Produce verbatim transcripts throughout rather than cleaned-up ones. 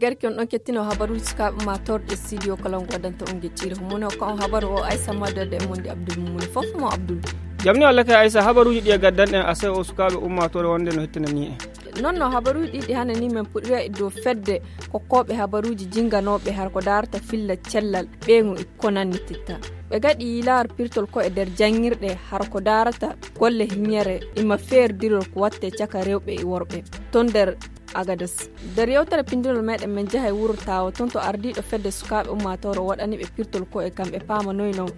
Garki on ɗon kettino habaruuji sukaaɓe ma torɗe studio kala on waddanta on gecciri. Homo ne hokka on habaru o Aissa Madda de e Mondi Abdul Mumuni. Fof mo Abdul. Jam ni Allah kay Aissa, habaruuji ɗi e gaddanɗen asay o sukaaɓe ummaatoore wonde no hettinani en. Non no habaruuji ɗiɗi hanani men puɗira e dow fedde kokkooɓe habaruuji jinganooɓe har ko daarata filla cellal ɓeyngu e ko nannititta. Ɓe gaɗi yilaar pirtol ko e nder janngirɗe har ko daarata golle hiñere ima feerdirol ko watte caka rewɓe e worɓe ton nder Agadas. Nder yewtere pinndinol meɗen men jaha e wuro Tawa ton to ardiiɗo fedde sukaaɓe ummaatoore o waɗani ɓe pirtol ko e kamɓe paama noy non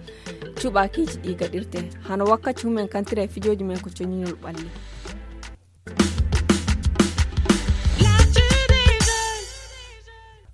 cuɓaakiiji ɗi gaɗirte. Hano wakkati humen kantira e fijooji men ko coñinol ɓalli.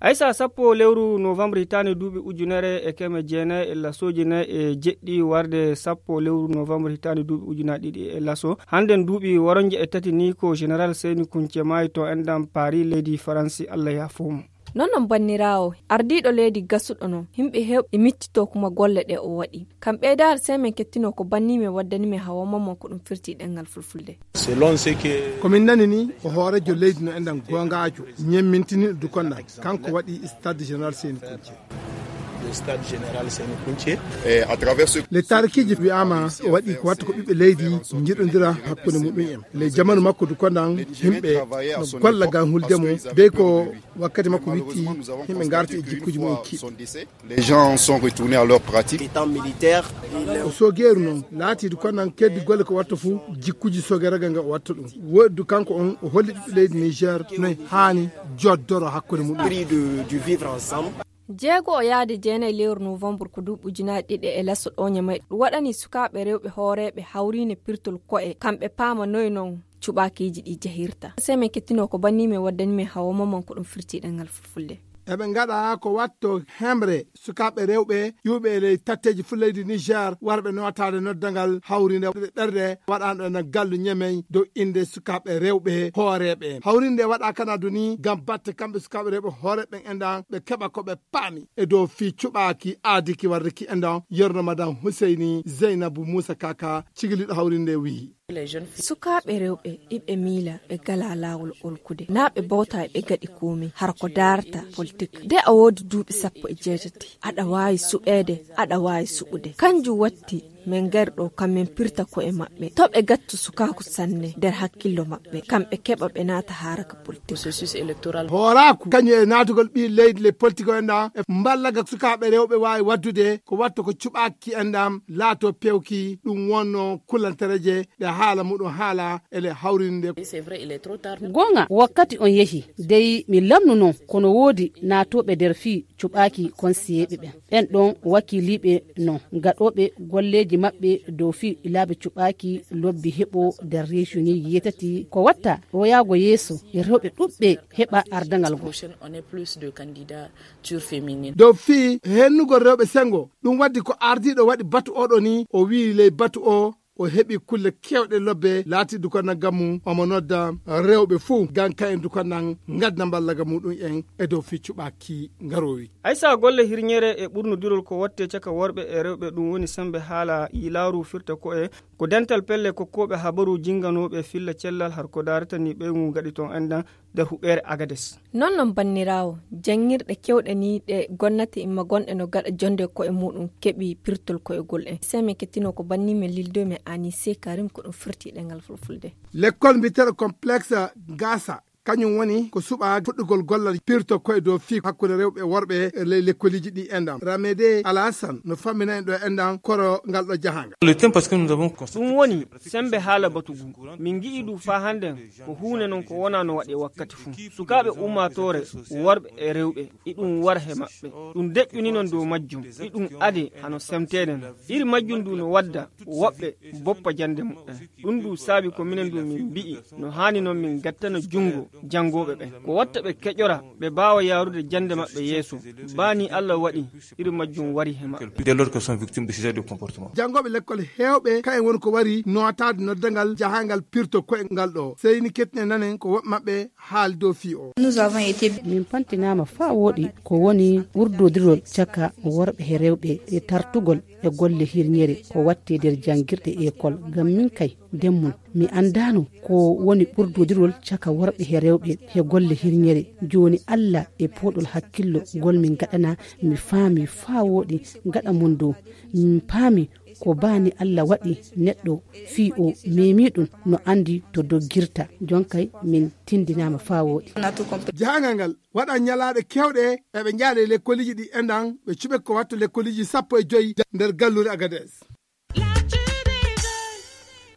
Aysa sappo lewru novembre hitaande duuɓi ujunere e keme jeenayi e lasooji nayi e jeɗɗi warde sappo lewru novembre hitaande duuɓi ujunaaji ɗiɗi e laso. Hannden duuɓi waronje e tati ni ko Général Seyni Kunce maayi to enɗam Paris leydi Faransi, Allah yaafo mo. Non non banniraawo, ardiiɗo leydi gasuɗo non, yimɓe heewɓe miccito kuma golle ɗe o waɗi. Kam ɓeydaare sey men kettino ko banni men waddani men hawa mamman ko ɗum firti ɗemngal fulfulde. Selon ce que ko min nani ni, o hoorejo leydi no enɗam goongaajo, ñemmintiniiɗo dukonɗam, kanko waɗi stade général Seyni Kunce. Le stade général Seyni Kunce. Eh, à travers ce le tarikiiji wi'aama o waɗi ko watta ko ɓiɓɓe leydi njiɗondira hakkunde muɗum en. Le jamanu makko dukonɗam, yimɓe no golla ngam hulde mo, dey ko wakkati makko witti, yimɓe ngarti e jikkuuji mum kiiɗi. Les gens sont retournés à leur pratique. Étant militaire, il o soogeeru noon laatiidu kono noon keddi golle ko watta fof jikkuuji soogeeragal ngal o watta ɗum. Woɗdu kanko on o holli ɓiɓɓe leydi Niger no haani joddoro hakkunde muɗum. Prix de, du vivre ensemble. Jeego o yaade jeenayi lewru novembre ko duuɓi ujunaaji ɗiɗi e laso ɗooña may ɗum waɗani sukaaɓe rewɓe hooreeɓe hawriine pirtol ko'e kamɓe paama noy noon cuɓaakiiji ɗi jahirta. Sey men kettino ko banni men waddani men hawa mamman ko ɗum firti ɗemngal fulfulde. Eɓe ngaɗa ko watto hemre sukaaɓe rewɓe ƴuuɓe e ley tatteeji fulaydi Niger warɓe nootaade noddangal hawriinde ɓerɗe waɗaanɗo e gallu ñemey dow innde sukaaɓe rewɓe hooreeɓe. Hawriinde waɗa kana duni ngam batte kamɓe sukaaɓe rewɓe hooreeɓe en ɗan ɓe keɓa ko ɓe paami e dow fii cuɓaaki aadiki warde ki en ɗan yerno Madam Huseyni Zeynabu Muusa Kaka cigiliiɗo hawriinde wi'i. Sukaaɓe rewɓe iɓe miila ɓe gala laawol olkude naa ɓe bawta e ɓe gaɗi komi har ko daarata politik. De a woodi duuɓi sappo e jeetati aɗa waawi suɓeede, aɗa waawi suɓude. Kanjum watti men ngari ɗo kam men pirta ko'e maɓɓe to ɓe gattu sukaaku sanne nder hakkillo maɓɓe kam ɓe keɓa ɓe naata haraka politik. Hooraaku kañum e naatugol ɓii leydi le politik o enɗa e mballaga sukaaɓe rewɓe waawi waddude ko watta ko cuɓaaki enɗam laato pewki ɗum wonno kulantereje ɗe haala muɗum haala ele hawrinde. Goonga wakkati on yehi dey mi lamnu noon kono woodi naatooɓe nder fii cuɓaaki konsiyeeɓe ɓen ɓen ɗon wakiiliiɓe non gaɗooɓe golleeji maɓɓe dow fii laabi cuɓaaki lobbi heɓo nder reesiyonii yeetati ko watta ɗoyaago yeeso e rewɓe ɗuɓɓe heɓa ardangal goo. Dow fii hennugol rewɓe senngo ɗum waddi ko ardiiɗo waɗi batu oɗo ni o wi'i ley batu o o heɓi kulle kewɗe lobbe laati dukonnan gammu omo nodda rewɓe fuu ngam kayen dukonnan ngadda mballaga muɗum en e dow fii cuɓaaki ngaroowi. Aysa golle hirñere e ɓurnodirol ko watte caka worɓe e rewɓe ɗum woni sembe haala yilaaru firta ko'e ko dental pelle kokkooɓe habaru jinganooɓe filla cellal har ko daarata ni ɓeyngu gaɗi ton enɗan nder huɓeere Agades. Non non banniraawo, janngirɗe kewɗe ni ɗe gonnati imma gonɗe no gaɗa jonde ko'e muɗum keɓi pirtol ko'egol en. Sey men kettino ko banni men lildo men Anise Karim ko ɗum firti ɗemngal fulfulde. Lekkol mbiyeteeɗo complexe Gasa kañum woni ko suɓa fuɗɗugol gollal pirto ko'e dow fii hakkunde rewɓe e worɓe e ley lekkoliiji ɗi enɗam. Ramede Alhassan no fammina en ɗo enɗam koro ngal ɗo jahaangal. Ɗum woni sembe haala batu ngu min ngi'i ɗum faa hannden ko huunde non ko wonaa no waɗee wakkati fuu. Sukaaɓe ummaatoore worɓe e rewɓe iɗum wara he maɓɓe. Ɗum deƴƴuni non dow majjum iɗum ade hano semteede non. Iri majjum ndu no wadda woɓɓe boppa jannde muɓɓen. Ɗum ndu saabi ko minen ndu min mbi'i no haani non min ngattana junngo janngooɓe ɓen ko watta ɓe keƴora ɓe mbaawa yaarude jannde maɓɓe yeeso. Baa ni Allah waɗi iri majjum wari he maɓɓe. Dès lors que sont victimes de ce genre de comportement. Janngooɓe lekkol heewɓe kayen woni ko wari nootaade noddangal jahaangal pirto ko'e ngal ɗo seyni kettine nanen ko woɓɓe maɓɓe haali dow fii o. Min pantinaama faa wooɗi ko woni ɓurdodirol caka worɓe he rewɓe e tartugol e golle hirñere ko watte nder janngirɗe ekol ngam min kay ndemmun Mi anndaano ko woni ɓurdodirol caka worɓe he rewɓe he golle hirñere. Jooni Alla e pooɗol hakkillo ngol min ngaɗana, mi faami faa wooɗi gaɗa mon dow. Min paami ko baa ni Alla waɗi neɗɗo fii o meemii ɗum no anndi to doggirta. Jonkay min tinndinaama faa wooɗi. Jahangal ngal waɗa ñalaaɗe keewɗe eɓe njahda e lekkoliiji ɗi enɗan ɓe cuɓe ko watta lekkoliiji sappo e joyi nder gallure Agades.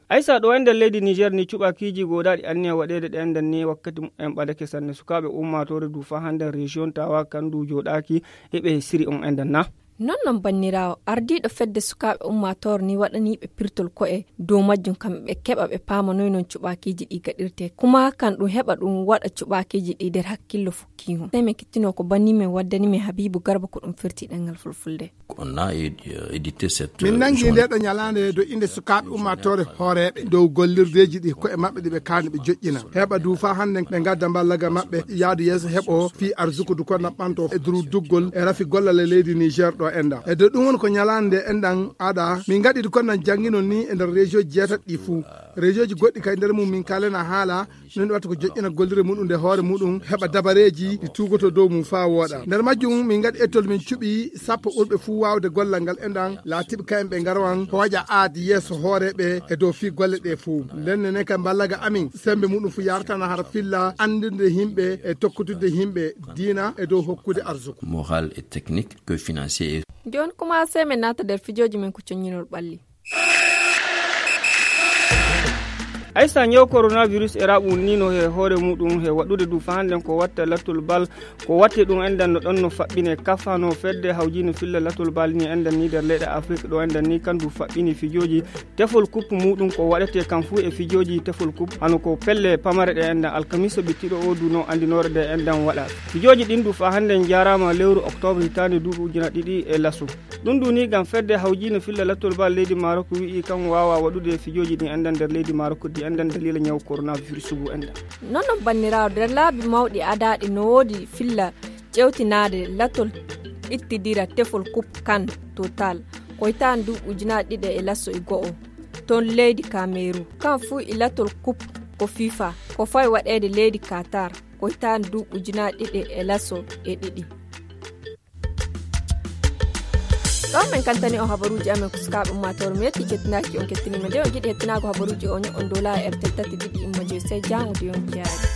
Aysa, ɗo e nder leydi Niger ni cuɓakiiji gooɗaaɗi anniya waɗeede ɗe enɗan ni wakkati mumen ɓadake sanne. Sukaaɓe ummaatoore du faa hannden région Tawa kan du jooɗaaki heɓe siri on enɗan na? Non non banniraawo, ardiiɗo fedde sukaaɓe ummaatoore ni waɗanii ɓe pirtol ko'e dow majjum kam ɓe keɓa ɓe paama noy non cuɓakiiji ɗi gaɗirtee. Kuma kan ɗum heɓa ɗum waɗa cuɓakiiji ɗi nder hakkillo fukkiingo. Sey min kettinoo ko banni men waddani men Habiibu Garba ko ɗum firti ɗemngal fulfulde. On a édité cette Min nangi nde ɗo ñalaande do innde sukaaɓe ummaatoore hooreeɓe dow gollirdeeji ɗi ko'e maɓɓe ɗi ɓe kaani ɓe joƴƴina. Heɓa du faa hannden ɓe ngadda mballaga maɓɓe yaadu yeeso heɓo fii arsuku du ko naɓɓanto e duru duggol e rafi gollal e leydi Niger ɗo enɗan. E do ɗum woni ko ñalaande nde enɗan aɗa. Min ngaɗi du ko nan jannginon ni e nder région jeetati ɗi fuu. Région ji goɗɗi kay nder mum min kaalena haala. Min watta ko joƴƴina gollirde muɗum nde hoore muɗum, heɓa dabareeji ɗi tuugoto dow mum faa wooɗa. Nder majjum min ngaɗi ettol min cuɓi sappo ɓurɓe fuu waawde gollal ngal enɗan, laatiiɓe kayen ɓe ngaro an hooƴa aadi yeeso hooreeɓe e dow fii golle ɗe fuu. Nden ne kay mballaga amin, semmbe muɗum fuu yartana hara filla anndirde yimɓe e tokkutude yimɓe diina e dow hokkude arsuku. Moral et technique que financier. Jooni kuma sey men naata nder fijooji men ko coññinol ɓalli. Aysa, ñaw coronavirus e raɓu wulniino he hoore muɗum he waɗude du faa hannden ko watta latol bal, ko watte ɗum enɗan no ɗon no faɓɓine. Kafa no fedde hawjiino filla latol bal ni enɗan ni nder leyɗe Afrik ɗo enɗan ni kan du faɓɓini fijooji tefol kup muɗum ko waɗetee kan fuu e fijooji tefol kup hano ko pelle pamare ɗe enɗan alkamisa bittiɗo o du no anndinoore ɗe enɗan waɗa. Fijooji ɗin du faa hannden njaaraama lewru octobre hitaande duuɓi ujuna ɗiɗi e laso. Ɗum du ni ngam fedde hawjiino filla lattol bal leydi Marok wi'i kan waawa waɗude fijooji ɗi enɗan nder leydi Marok ɗi enɗan daliila ñaw coronavirus ngu enɗan. Non non banniraawo, nder laabi mawɗi adaaɗi no woodi filla ƴewtinaade lattol ɓittidira tefol kup kan total ko hitaande duuɓi ujunaaji ɗiɗi e laso e go'o ton leydi Kameru. Kan fuu e lattol kup ko fifa ko fawi waɗeede leydi Katar ko hitaande duuɓi ujunaaji ɗiɗi e laso e ɗiɗi. Ɗo men kaltani on habaruuji amen ko sukaaɓe ummaatoore. Mi yetti kettinaaki on kettinii ma. Nde on njiɗi hettinaago habaruuji o, ño'on dow laaya R T L tati ɗiɗi imma joyi. Sey jaango du yon jaari.